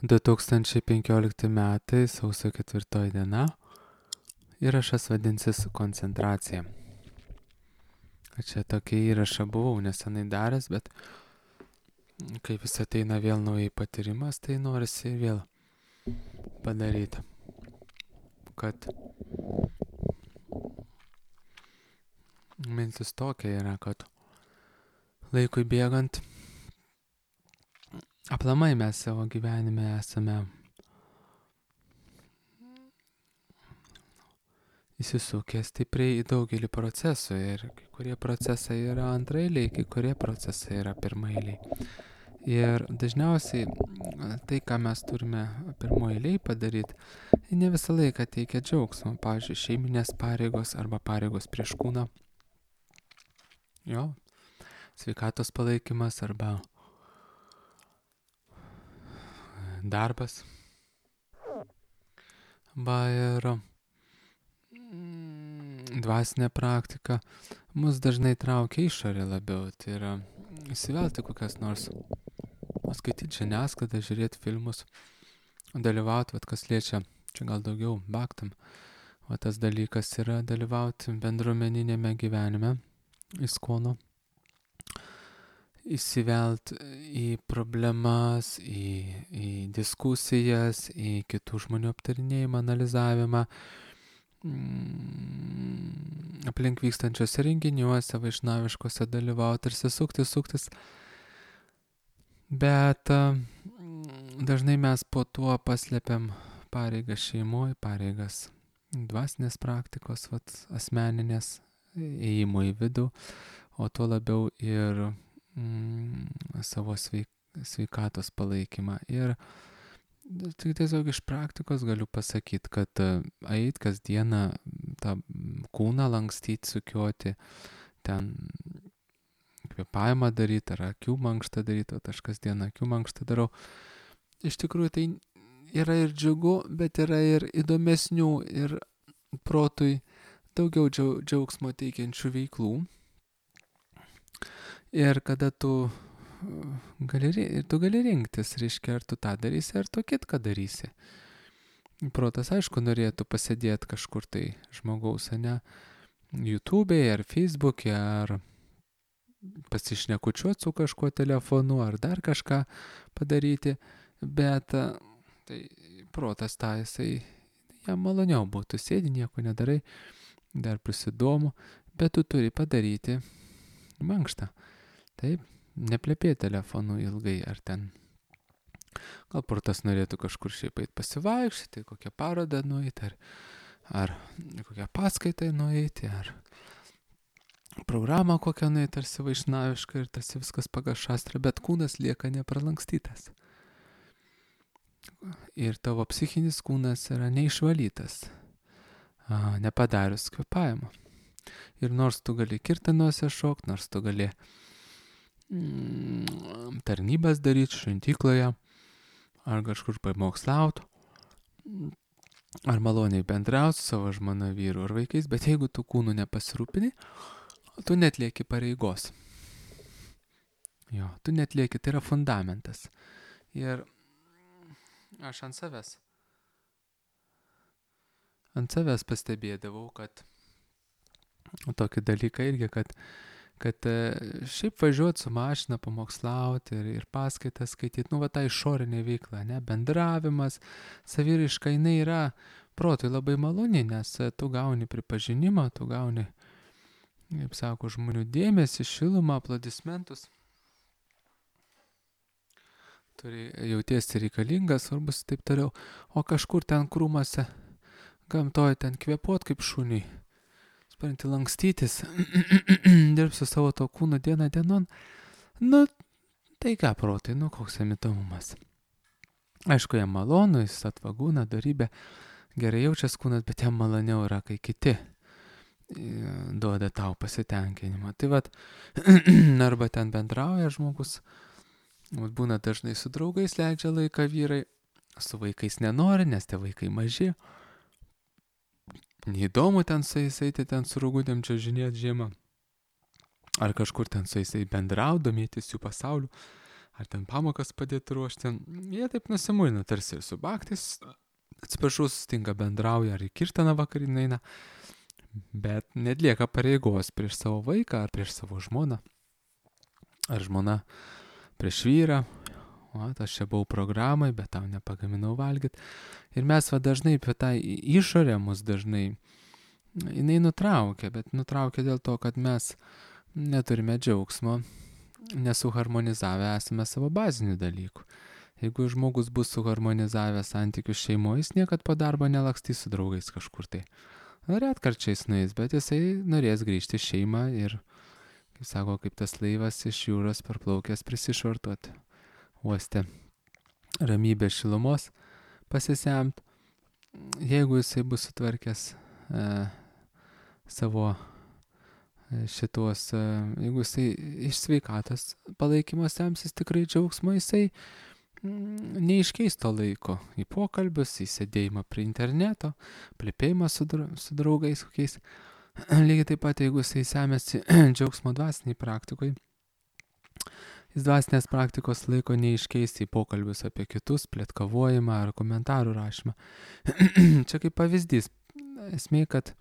2015 metai, sausio 4 diena. Įrašas vadinsis koncentracija. Čia tokį įrašą buvau nesenai daręs, bet kai vis ateina vėl naujai patyrimas, tai norisi vėl padaryti. Kad mintis tokia yra, kad laikui bėgant aplamai mes savo gyvenime esame įsisukę stipriai į daugelį procesų ir kai kurie procesai yra antraeiliai, kai kurie procesai yra pirmaeiliai. Ir dažniausiai tai, ką mes turime pirmoeiliai padaryti, ne visą laiką teikia džiaugsmą. Pavyzdžiui, šeiminės pareigos arba pareigos prieš kūną. Jo, sveikatos palaikymas arba darbas. Arba ir dvasinė praktika mus dažnai traukia išorė labiau. Tai yra įsivelti kokias nors, skaityti žiniasklaidą, žiūrėti filmus, dalyvauti, kas liečia, čia gal daugiau baktam. O tas dalykas yra dalyvauti bendruomeninėme gyvenime, įskono, įsivelt į problemas, į diskusijas, į kitų žmonių aptarinėjimą, analizavimą, aplink vykstančiose renginiuose, vaišnaviškose dalyvauti ir suktis. Bet dažnai mes po tuo paslėpiam pareigas šeimoje, pareigas dvasinės praktikos, asmeninės, ėjimo į vidų, o tuo labiau ir savo sveikatos palaikymą. Ir tik tiesiog iš praktikos galiu pasakyti, kad eit kasdieną tą kūną lankstyti, sukioti, ten kvėpavimą daryti ar akių mankštą daryti, o aš kasdieną akių mankštą darau. Iš tikrųjų tai yra ir džiugu, bet yra ir įdomesnių ir protui daugiau džiaugsmo teikiančių veiklų. Ir kada tu gali rinktis, reiškia, ar tu tą darysi, ar tu kitką darysi. Protas, aišku, norėtų pasėdėti kažkur tai žmogaus, ne, YouTube'e, ar Facebook'e, ar pasišnekučiuoti su kažkuo telefonu, ar dar kažką padaryti, bet tai protas tą jisai, jam maloniau būtų, sėdi, nieko nedarai, dar prisidomu, bet tu turi padaryti mankštą. Taip, neplepėti telefonu ilgai, ar ten. Gal protas norėtų kažkur šiaip eit pasivaikščioti, kokią parodą nueiti, ar kokią paskaitą nueiti, ar programą kokią nueiti, tarsi vaišnavišką ir tarsi viskas pagal šastrą, bet kūnas lieka nepralankstytas. Ir tavo psichinis kūnas yra neišvalytas, nepadarius kvėpavimo. Ir nors tu gali kirtanuose šokti, nors tu gali tarnybas daryti šventykloje, ar kažkur pamokslauti, ar maloniai bendrauti su savo žmona, vyru ar vaikais, bet jeigu tu kūnu nepasirūpini, tu netlieki pareigos. Jo, tu netlieki, tai yra fundamentas. Ir aš ant savęs pastebėdavau, kad tokį dalyką irgi, kad šiaip važiuoti su mašina, pamokslauti ir paskaitas skaityti, ta išorinė veikla, ne, bendravimas, saviraiška, jinai yra protui labai maloni, nes tu gauni pripažinimą, tu gauni, kaip sako, žmonių dėmesį, šilumą, aplodismentus. Turi jautiesi reikalingas, svarbus ir taip toliau. O kažkur ten krūmose, gamtoje ten kvėpuot kaip šuniui, sparinti lankstytis, dirbsi savo to kūno dieną dienon, tai ką protai, koks jam įdomumas. Aišku, jam malonu, jis atvagūna, darybė, gerai jaučias kūnas, bet jam maloniau yra, kai kiti duoda tau pasitenkinimą. Tai arba ten bendrauja žmogus, būna dažnai su draugais leidžia laiką vyrai, su vaikais nenori, nes tie vaikai maži. Neįdomu ten su jais eiti, ten su rūgudėm čiuožinėti žiemą. Ar kažkur ten su jais bendrauti, domėtis jų pasauliu. ar ten pamokas padėti ruošti. Jie taip nusimuina, tarsi ir su baktais, atsiprašau, susitinka, bendrauja, ar į kirtaną vakarinę eina, bet netlieka pareigos prieš savo vaiką ar prieš savo žmoną, ar žmona prieš vyrą. O, aš čia buvau programai, bet tau nepagaminau valgyti. Ir mes dažnai apie tą išorę mus dažnai, jinai nutraukia, bet nutraukia dėl to, kad mes neturime džiaugsmo, nesuharmonizavę esame savo bazinių dalykų. Jeigu žmogus bus suharmonizavęs santykius šeimoje, jis niekad po darbo nelakstys su draugais kažkur tai. Retkarčiais nueis, bet jisai norės grįžti į šeimą ir, kaip sako, kaip tas laivas iš jūros parplaukęs prisišvartuoti uoste ramybės šilumos pasisemt. Jeigu jisai bus sutvarkęs savo šitos, jeigu jisai iš sveikatos palaikymo semsis tikrai džiaugsmo, jisai neiškeis to laiko į pokalbius, į sėdėjimą prie interneto, plepėjimą su draugais kokiais. Lygiai taip pat, jeigu jisai semėsi džiaugsmo dvasiniai praktikoje, jis dvasinės praktikos laiko neiškeis į pokalbius apie kitus, plėtkavojimą ar komentarų rašymą. Čia kaip pavyzdys. Esmė, kad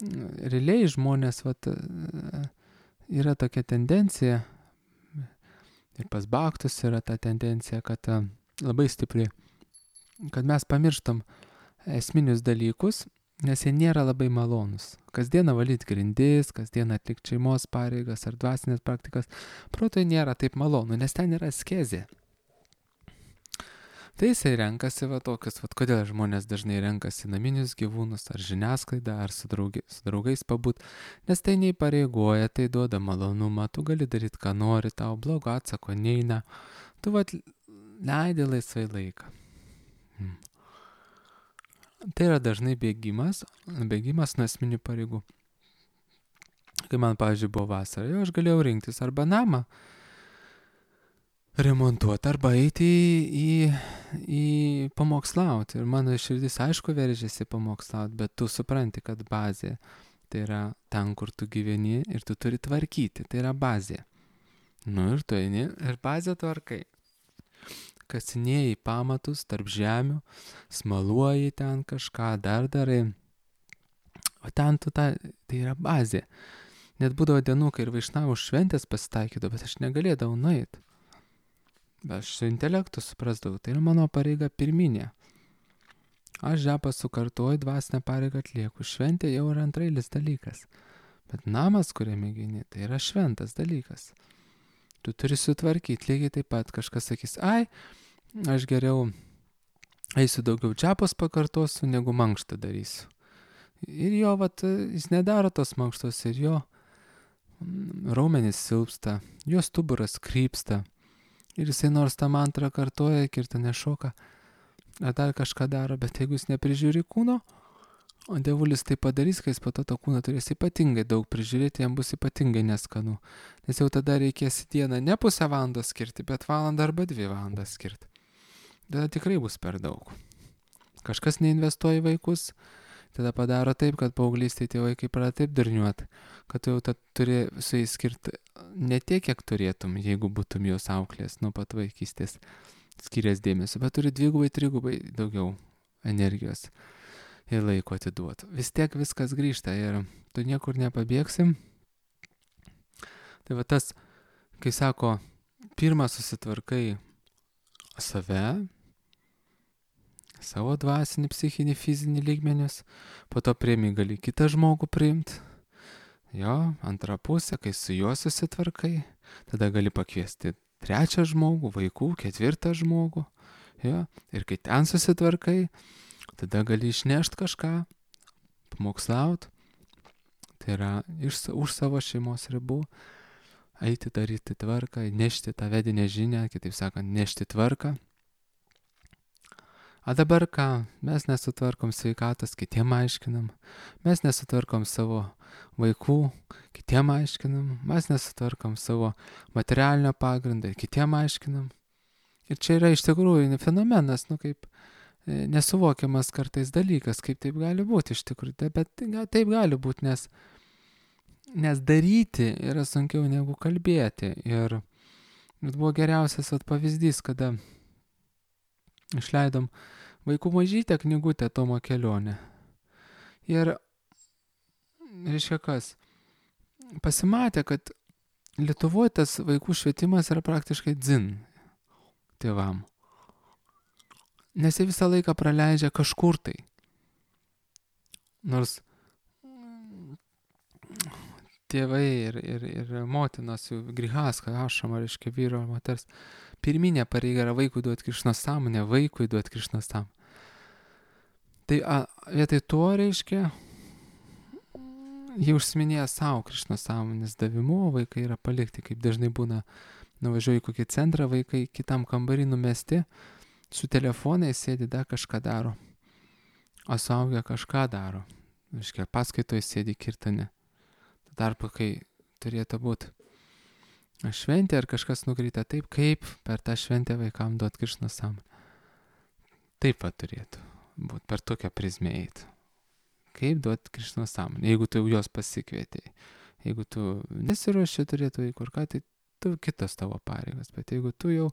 realiai žmonės yra tokia tendencija, ir pas baktus yra ta tendencija, kad labai stipri, kad mes pamirštam esminius dalykus, nes jie nėra labai malonus. Kasdieną valyti grindis, kasdieną atlikti šeimos pareigas ar dvasinės praktikas, protui nėra taip malonu, nes ten yra askezė. Tai jisai renkasi tokius, kodėl žmonės dažnai renkasi naminius gyvūnus, ar žiniasklaidą, ar su draugais pabūt, nes tai neįpareigoja, tai duoda malonumą, tu gali daryti, ką nori, tau blogo atsako neina, tu leidi laisvai laiką. Tai yra dažnai bėgimas nuo esminių pareigų. Kai man, pavyzdžiui, buvo vasara, aš galėjau rinktis arba namą remontuoti, arba eiti į pamokslauti. Ir mano širdis, aišku, veržėsi pamokslauti, bet tu supranti, kad bazė tai yra ten, kur tu gyveni ir tu turi tvarkyti. Tai yra bazė. Ir tu eini ir bazę tvarkai. Kasinėjai pamatus tarp žemių, smaluoji ten kažką, dar darai. O ten tai yra bazė. Net būdavo dienų, kai ir vaišnavų šventės pasitaikydavo, bet aš negalėdavau nueiti. Bet aš su intelektu suprasdavau, tai yra mano pareiga pirminė. Aš žepą sukartuoju, dvasinę pareigą atlieku. Šventė jau yra antrailis dalykas. Bet namas, kuriame gyveni, tai yra šventas dalykas. Tu turi sutvarkyti, lygiai taip pat kažkas sakys, aš geriau eisiu daugiau džepos pakartosiu, negu mankštą darysiu. Ir jo, jis nedaro tos mankštos ir jo raumenys silpsta, jo stuburas krypsta. Ir jisai nors tą mantrą kartoja, kirtą nešoka, ar dar kažką daro, bet jeigu jis neprižiūri kūno, o dievulis tai padarys, kai jis po to kūną turės ypatingai daug prižiūrėti, jam bus ypatingai neskanu. Nes jau tada reikės į dieną ne pusę valandos skirti, bet valandą arba 2 valandas skirti. Tada tikrai bus per daug. Kažkas neinvestuoja į vaikus, tada padaro taip, kad paauglystėje tie vaikai pradeda taip durniuoti, kad jau turi su jais skirti ne tiek, kiek turėtum, jeigu būtum jos auklės nuo pat vaikystės skirias dėmesio, bet turi 2-3 daugiau energijos ir laiko atiduoti. Vis tiek viskas grįžta ir tu niekur nepabėgsim. Tai tas, kai sako, pirmą susitvarkai save, savo dvasinį, psichinį, fizinį lygmenius, po to priimi gali kitą žmogų priimti. Jo, antrą pusę, kai su juo susitvarkai, tada gali pakviesti 3 žmogų, vaikų, 4 žmogų. Jo, ir kai ten susitvarkai, tada gali išnešti kažką, pamokslaut, tai yra už savo šeimos ribų, eiti daryti tvarką, nešti tą vedinę žinią, kitaip sakant, nešti tvarką. O dabar ką? Mes nesutvarkom sveikatos, kitiem aiškinam. Mes nesutvarkom savo vaikų, kitiem aiškinam. Mes nesutvarkom savo materialinio pagrindą, kitiem aiškinam. Ir čia yra iš tikrųjų fenomenas, kaip nesuvokiamas kartais dalykas, kaip taip gali būti iš tikrųjų. Bet taip gali būti, nes daryti yra sunkiau negu kalbėti. Ir Bet buvo geriausias pavyzdys, kada išleidom vaikų mažytę knygutę Tomo kelionę. Ir, reiškia kas, pasimatė, kad Lietuvoje tas vaikų švietimas yra praktiškai dzin tėvam. Nes jie visą laiką praleidžia kažkur tai. Nors tėvai ir motinos jų grihaska, ašama, reiškia vyro ir moters, pirminė pareiga yra vaikui duoti Krišnos sąmonę, vaikui duoti Krišnos sąmonę. Tai vietoj to, reiškia, jie užsiminėja savo Krišnos sąmonės davimu, o vaikai yra palikti, kaip dažnai būna, nuvažiuoju į kokį centrą, vaikai kitam kambarį numesti, su telefonais sėdi, dar kažką daro, o suaugę kažką daro. Reiškia, paskaitoje sėdi kirtane. Tarpu, kai turėtų būti šventė ar kažkas nukryta taip, kaip per tą šventę vaikam duot Krišnos sąmonę. Taip pat turėtų būti, per tokią prizmę eiti. Kaip duot Krišnos sąmonę, jeigu tu jos pasikvietėjai. Jeigu tu nesiruoši turėtų vaikų ir ką, tai tu kitas tavo pareigas. Bet jeigu tu jau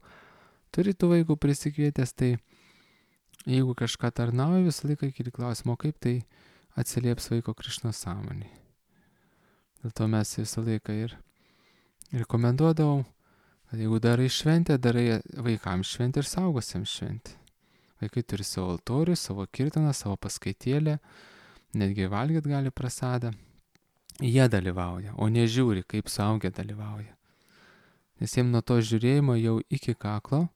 turi tų vaikų prisikvietęs, tai jeigu kažką tarnauji, visą laiką keli klausimą, kaip tai atsilieps vaiko Krišnos sąmonį. Dėl to mes visą laiką ir rekomenduodavom, kad jeigu darai šventę, darai vaikams šventę ir saugusiems šventę. Vaikai turi savo altorių, savo kirtaną, savo paskaitėlę, netgi valgyt gali prasadą. Jie dalyvauja, o nežiūri, kaip suaugę dalyvauja. Nes jiems nuo to žiūrėjimo jau iki kaklo,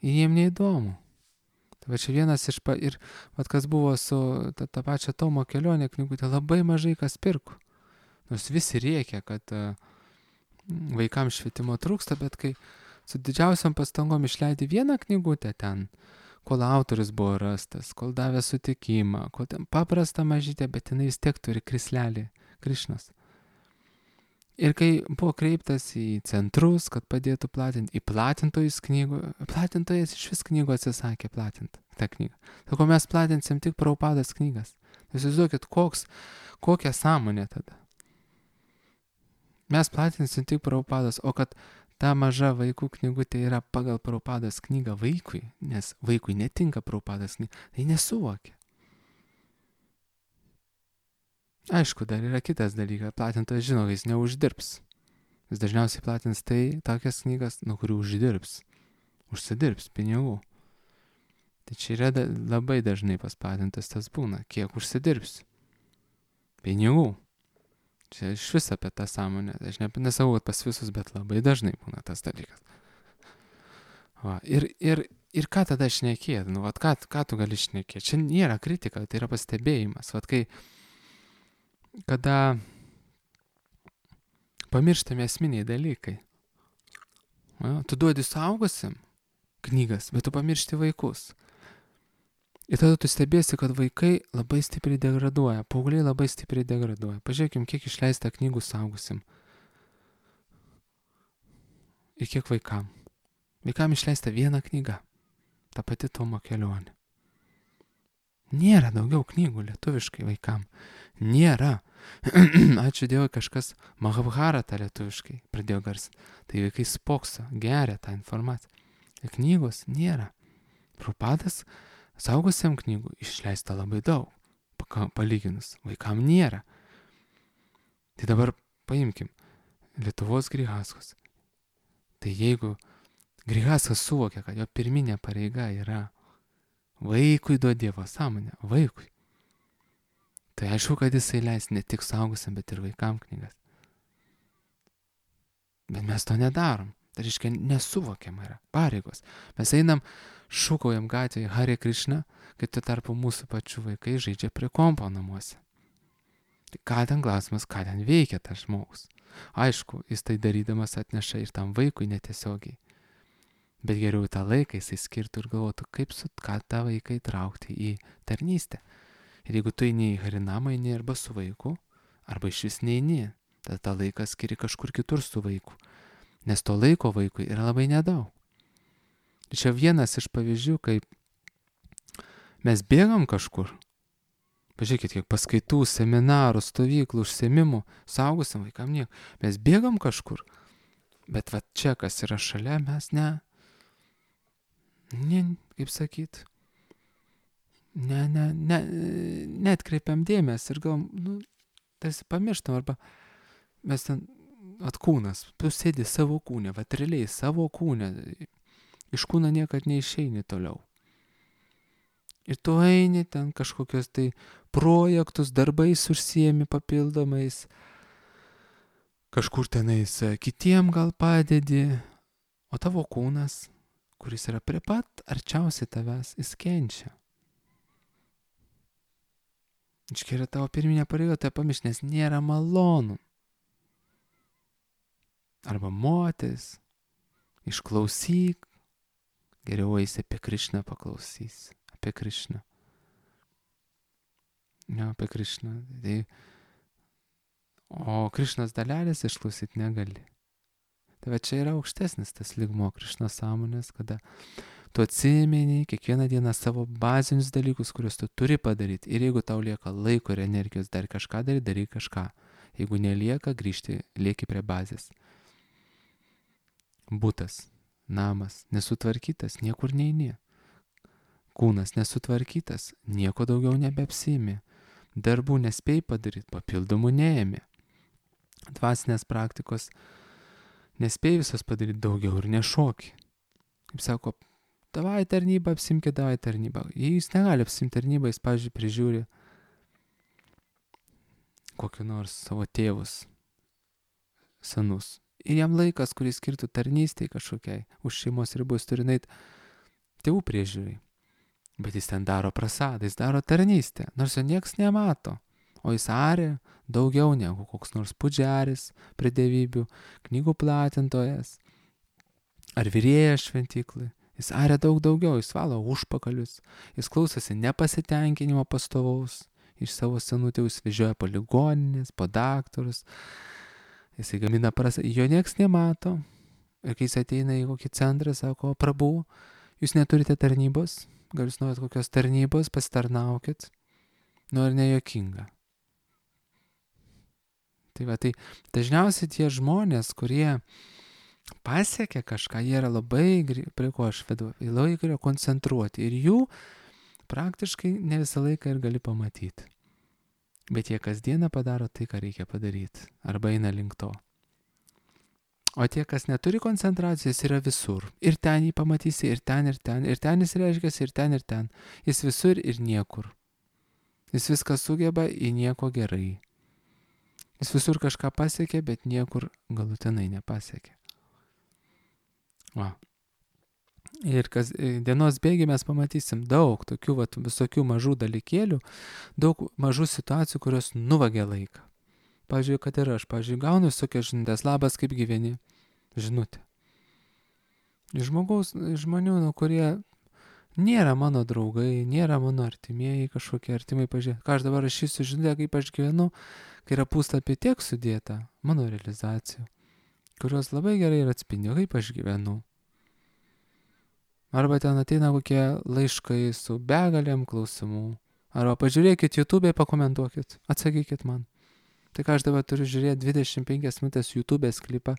jiems neįdomu. Tai va čia vienas ir kas buvo su ta pačia Tomo kelionė knygutė, labai mažai kas pirko. Nors visi rėkia, kad vaikams švietimo trūksta, bet kai su didžiausiam pastangom išleidai vieną knygutę ten, kol autorius buvo rastas, kol davė sutikimą, kol ten paprasta mažytė, bet jinai vis tiek turi krislelį Krišnos. Ir kai buvo kreiptas į centrus, kad padėtų platinti, į platintojus knygų, platintojas iš vis knygų atsisakė platinti tą knygą. Sako, mes platinsim tik Prabhupados knygas. Jūs įsivaizduokit, kokia sąmonė tada. Mes platinsim tik Prabhupados, o kad ta maža vaikų knygutė yra pagal Prabhupados knygą vaikui, nes vaikui netinka Prabhupados knyga, tai nesuvokia. Aišku, dar yra kitas dalykas, platintojas žino, kad jis neuždirbs. Jis dažniausiai platins tokias knygas, nuo kurių užsidirbs pinigų. Tai čia yra labai dažnai pas platintas tas būna, kiek užsidirbs pinigų. Čia iš vis apie tą sąmonę. Aš nesakau, kad pas visus, bet labai dažnai būna tas dalykas. Va, ir ką tada šnekėt? Nu, vat, ką tu gali šnekėti? Čia nėra kritika, tai yra pastebėjimas. Vat, kada pamirštami esminiai dalykai. Va, tu duodi suaugusiam knygas, bet tu pamiršti vaikus. Ir tada tu stebėsi, kad vaikai labai stipriai degraduoja, paaugliai labai stipriai degraduoja. Pažiūrėkim, kiek išleista knygų suaugusim. Ir kiek vaikam. Vaikam išleista viena knyga. Ta pati Tomo kelionė. Nėra daugiau knygų lietuviškai vaikam. Nėra. Ačiū Dievui, kažkas Mahabharatą lietuviškai pradėjo garsinti. Tai vaikai spokso, geria tą informaciją. Ir knygos nėra. Prabhupadas saugusiam knygų išleista labai daug, palyginus, vaikam nėra. Tai dabar paimkim Lietuvos grihaskos. Tai jeigu grihaskas suvokia, kad jo pirminė pareiga yra vaikui duoti Dievo sąmonę, vaikui, tai aišku, kad jisai leis ne tik saugusiam, bet ir vaikam knygas. Bet mes to nedarom. Tai reiškia, nesuvokiama yra pareigos. Mes einam, šūkaujam gatvėje Hare Krishna, kai tuo tarpu mūsų pačių vaikai žaidžia prie kompo namuose. Tai ką ten klausimas, ką ten veikia tas žmogus? Aišku, jis tai darydamas atneša ir tam vaikui netiesiogiai. Bet geriau tą laiką jisai skirtų ir galvotų, ką tą vaiką įtraukti į tarnystę. Ir jeigu tu eini į Harinamą, eini arba su vaiku, arba iš vis neini, tada tą laiką skiri kažkur kitur su vaiku. Nes to laiko vaikui yra labai nedaug. Čia vienas iš pavyzdžių, kaip mes bėgam kažkur. Pažiūrėkit, kiek paskaitų, seminarų, stovyklų, užsiėmimų, saugusiam vaikam nieko. Mes bėgam kažkur. Bet va čia, kas yra šalia, mes kaip sakyt, neatkreipiam dėmesį ir gal, tarsi pamirštam, arba mes ten, kūnas, tu sėdi savo kūne, realiai savo kūne, iš kūno niekad neišeini toliau. Ir tu eini ten kažkokios tai projektus, darbais užsiemi papildomais, kažkur tenais kitiem gal padedi, o tavo kūnas, kuris yra prie pat arčiausiai tavęs, jis kenčia. Čia yra tavo pirminė pareiga, tai pamiršti, nes nėra malonu. Arba moteris, išklausyk, geriau eisi apie Krišną paklausysi, apie Krišną. Apie Krišną. O Krišnos dalelės išklausyti negali. Tai va čia yra aukštesnis tas lygmuo Krišnos sąmonės, kada tu atsimeni kiekvieną dieną savo bazinius dalykus, kuriuos tu turi padaryti. Ir jeigu tau lieka laiko ir energijos dar kažką daryti, daryk kažką. Jeigu nelieka, lieki prie bazės. Butas, namas nesutvarkytas, niekur neini. Kūnas nesutvarkytas, nieko daugiau nebeapsiimi. Darbų nespėjai padaryti, papildomų neėmė. Dvasinės praktikos nespėjai visas padaryti, daugiau ir nešoki. Kaip sako, davai tarnybą, apsimkė davai tarnybą. Jei jis negali apsimti tarnybą, jis, pavyzdžiui, prižiūri kokį nors savo tėvus senus. Ir jam laikas, kuris skirtų tarnystėj kažkokiai, už šeimos ribų, jis turi nueiti tėvų priežiūrai. Bet jis ten daro prasadą, jis daro tarnystę, nors jo nieks nemato. O jis aria daugiau negu koks nors pudžiaris prie dievybių, knygų platintojas ar virėjas šventyklai. Jis aria daug daugiau, jis valo užpakalius, jis klausosi nepasitenkinimo pastovaus, iš savo senų tėvų jis vežioja po ligoninės, po daktarus, jis gamina prasadą, jo nieks nemato. Ir kai jis ateina į kokį centrą, sako, prabų, jūs neturite tarnybos, gal jūs norit kokios tarnybos, pasitarnaukit, ar nejuokinga. Tai dažniausiai tie žmonės, kurie pasiekia kažką, jie yra labai, prie ko aš vedu, labai yra koncentruoti ir jų praktiškai ne visą laiką ir gali pamatyti. Bet jie kasdieną padaro tai, ką reikia padaryti, arba eina link to. O tie, kas neturi koncentracijos, yra visur. Ir ten jį pamatysi, ir ten, ir ten. Ir ten jis reiškiasi, ir ten, ir ten. Jis visur ir niekur. Jis viską sugeba, į nieko gerai. Jis visur kažką pasiekė, bet niekur galutinai nepasiekė. Ir dienos bėgy mes pamatysim daug tokių visokių mažų dalykėlių, daug mažų situacijų, kurios nuvagia laiką. Pavyzdžiui, kad ir aš, gaunu visokias žinutės, labas, kaip gyveni, žinutė. Žmonių, kurie nėra mano draugai, nėra mano artimieji, kažkokie artimai pažiūrė. Ką aš dabar rašysiu žinutę, kaip aš gyvenu, kai yra puslapį tiek sudėta mano realizacijų, kurios labai gerai ir atspindi, kaip aš gyvenu. Arba ten ateina kokie laiškai su begalėm klausimų. Arba pažiūrėkit YouTube, pakomentuokit, atsakykit man. Tai ką aš dabar turiu žiūrėti 25 minutės YouTube'ės klipą,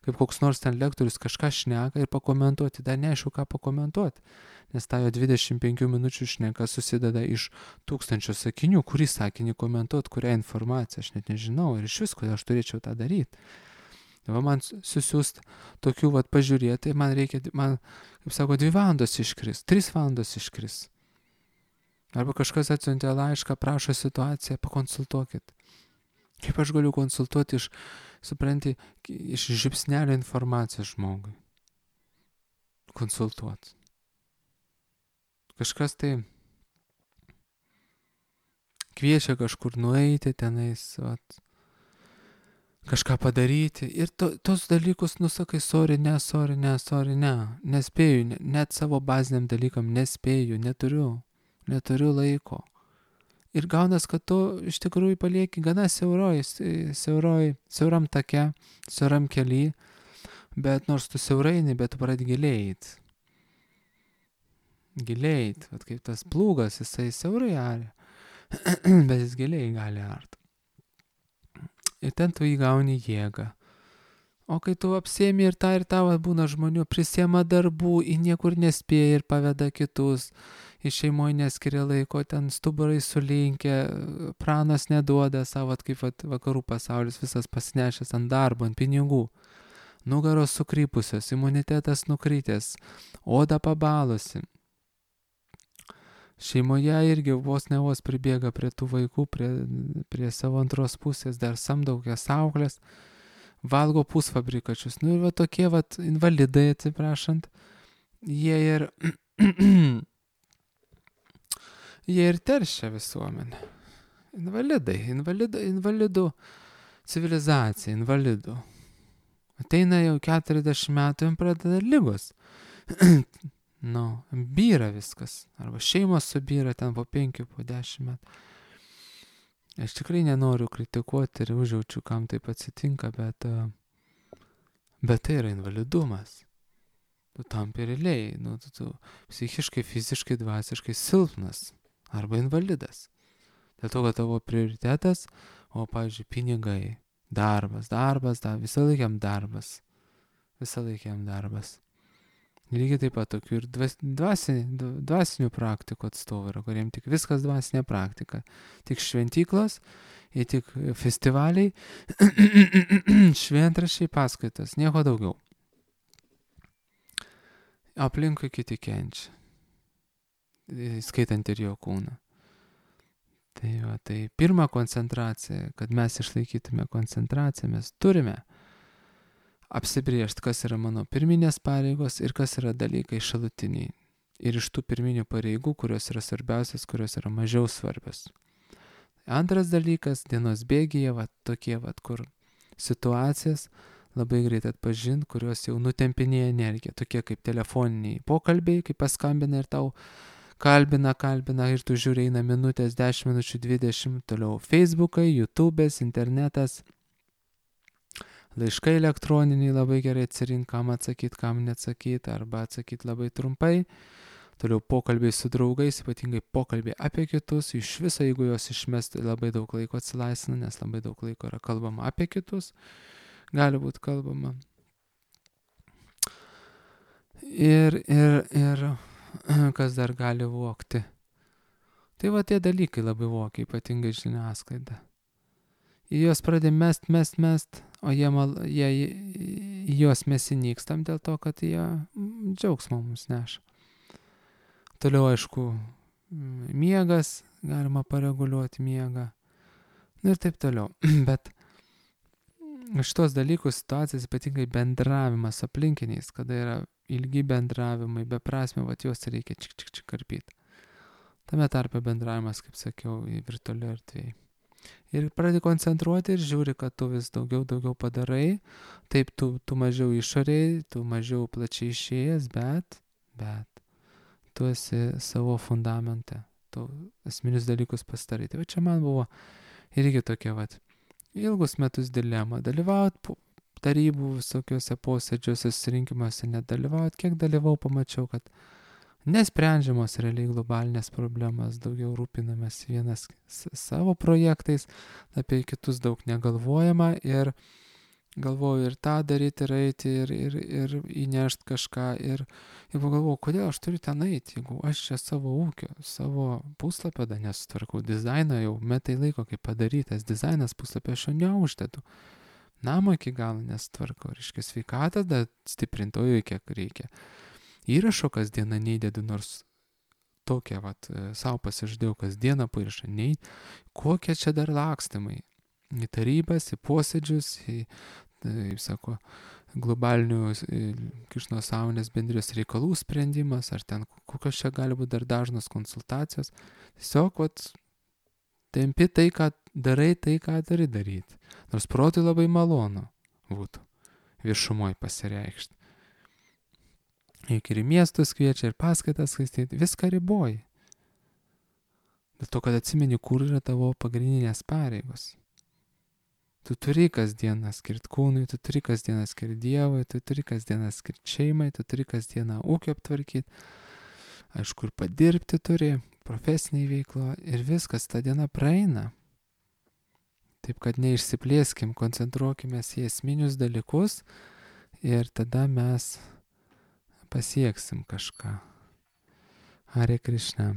kaip koks nors ten lektorius kažką šneka ir pakomentuoti, dar neaišku ką pakomentuoti. Nes ta jo 25 minučių šneka susideda iš 1000 sakinių, kurį sakinį komentuoti, kurią informaciją, aš net nežinau ir iš vis, kodėl aš turėčiau tą daryti. Man susiūst tokių pažiūrėti, man, kaip sako, 2 valandos iškris, 3 valandos iškris. Arba kažkas atsiuntė laišką, prašo situaciją, pakonsultuokit. Kaip aš galiu konsultuoti iš žipsnelio informacijos žmogui? Konsultuoti. Kažkas tai kviečia kažkur nueiti tenais, kažką padaryti. Ir tos dalykus nusakai, sorry, ne, nespėju, net savo baziniam dalykam nespėju, neturiu laiko. Ir gaunas, kad tu iš tikrųjų palieki gana siauram take, siauram kely, bet nors tu siauraini, bet tu pradedi gilėjti. Gilėjti, kaip tas plūgas, jisai siaurai aria, bet jis giliai gali art. Ir ten tu įgauni jėgą. O kai tu apsėmi ir tą, būna žmonių, prisiema darbų, į niekur nespėja ir paveda kitus, į šeimoje neskiria laiko, ten stuburai sulinkę, pranas neduoda savo, kaip vakarų pasaulis visas pasinešęs ant darbo, ant pinigų, nugaros sukrypusios, imunitetas nukrytęs, oda pabalusi. Šeimoje irgi vos ne vos pribėga prie tų vaikų, prie savo antros pusės, dar samdo kokias auklės, valgo pusfabrikačius. Nu ir va tokie va invalidai, atsiprašant, jie ir teršia visuomenę. Invalidų civilizacija, invalidų. Ateina jau 40 metų ir pradeda lygos. Byra viskas. Arba šeimos subyra ten po 5, po 10 metų. Aš tikrai nenoriu kritikuoti ir užjaučiu, kam taip atsitinka, bet tai yra invalidumas. Tu tampi realiai, tu psichiškai, fiziškai, dvasiškai silpnas arba invalidas. Dėl to, kad tavo prioritetas, pavyzdžiui, pinigai, darbas, visą laikiam darbas. Lygiai taip pat tokių ir dvasinių praktikų atstovų yra, kuriem tik viskas dvasinė praktika. Tik šventyklos, tik festivaliai, šventraščiai, paskaitos, nieko daugiau. Aplinkui kiti kenčia, skaitant ir jo kūną. Tai pirma koncentracija, kad mes išlaikytume koncentraciją, mes turime apsibriežti, kas yra mano pirminės pareigos ir kas yra dalykai šalutiniai. Ir iš tų pirminių pareigų, kurios yra svarbiausias, kurios yra mažiau svarbios. Antras dalykas, dienos bėgyje, tokie, kur situacijas labai greit atpažinti, kurios jau nutempinėja energiją. Tokie kaip telefoniniai pokalbiai, kai paskambina ir tau kalbina ir tu žiūri, eina minutės, 10 minučių, 20, toliau Facebookai, YouTube'as, internetas. Laiškai elektroniniai labai gerai atsirink, kam atsakyti, kam neatsakyti, arba atsakyti labai trumpai. Toliau pokalbiai su draugais, ypatingai pokalbiai apie kitus. Iš viso, jeigu juos išmesti, labai daug laiko atsilaisvina, nes labai daug laiko yra kalbama apie kitus. Gali būti kalbama. Ir kas dar gali vokti. Tai tie dalykai labai vokia, ypatingai žiniasklaida. Į juos pradė mest, o jie juos mes įnykstam dėl to, kad jie džiaugsmą mums neša. Toliau, aišku, miegas, galima pareguliuoti miegą. Ir taip toliau. Bet šitos dalykus, situacijas, ypatingai bendravimas aplinkiniais, kada yra ilgi bendravimai, beprasmė, juos reikia čik karpyti. Tame tarpe bendravimas, kaip sakiau, į virtualią erdvėje. Ir pradedi koncentruoti ir žiūri, kad tu vis daugiau padarai, taip tu mažiau išoriai, tu mažiau plačiai išėjęs, bet tu esi savo fundamente, tu esminius dalykus pastarai. Tai čia man buvo irgi tokia ilgus metus dilema, dalyvauti tarybų visokiuose posėdžiuose, susirinkimuose, nedalyvauti. Kiek dalyvau, pamačiau, kad nesprendžiamos realiai globalinės problemas, daugiau rūpinamės vienas savo projektais, apie kitus daug negalvojama ir galvoju ir tą daryti, ir eiti, ir įnešti kažką. Ir pagalvoju, kodėl aš turiu ten eiti, jeigu aš čia savo ūkio, savo puslapio nesutvarkau, dizainą jau metai laiko, kaip padarytas dizainas puslapio, aš jo neuždedu. Namo iki galo nesutvarkau, reiškia sveikatą, stiprintojų kiek reikia. Įrašo kasdieną neįdedu, nors tokią savo pasižadėjau kasdieną įrašą neįdedu. Kokie čia dar lakstimai? Į tarybas, į posėdžius, globalinių Krišnos sąmonės bendrijos reikalų sprendimas, ar ten kokios čia gali būti dar dažnos konsultacijos. Tiesiog tempi tai, ką darai, tai, ką turi daryti. Nors protui labai malonu būtų viešumoje pasireikšti. Ir į miestus kviečia, ir paskaitas skaityti, viską riboji. Dėl to, kad atsimeni, kur yra tavo pagrindinės pareigos. Tu turi kasdieną skirti kūnui, tu turi kasdieną skirti Dievui, tu turi kasdieną skirti šeimai, tu turi kasdieną ūkio aptvarkyti. Aišku, ir padirbti turi, profesiniai veiklo, ir viskas, ta diena praeina. Taip kad neišsiplėskim, koncentruokime į esminius dalykus ir tada mes pasieksim kažką. Hare Krishna.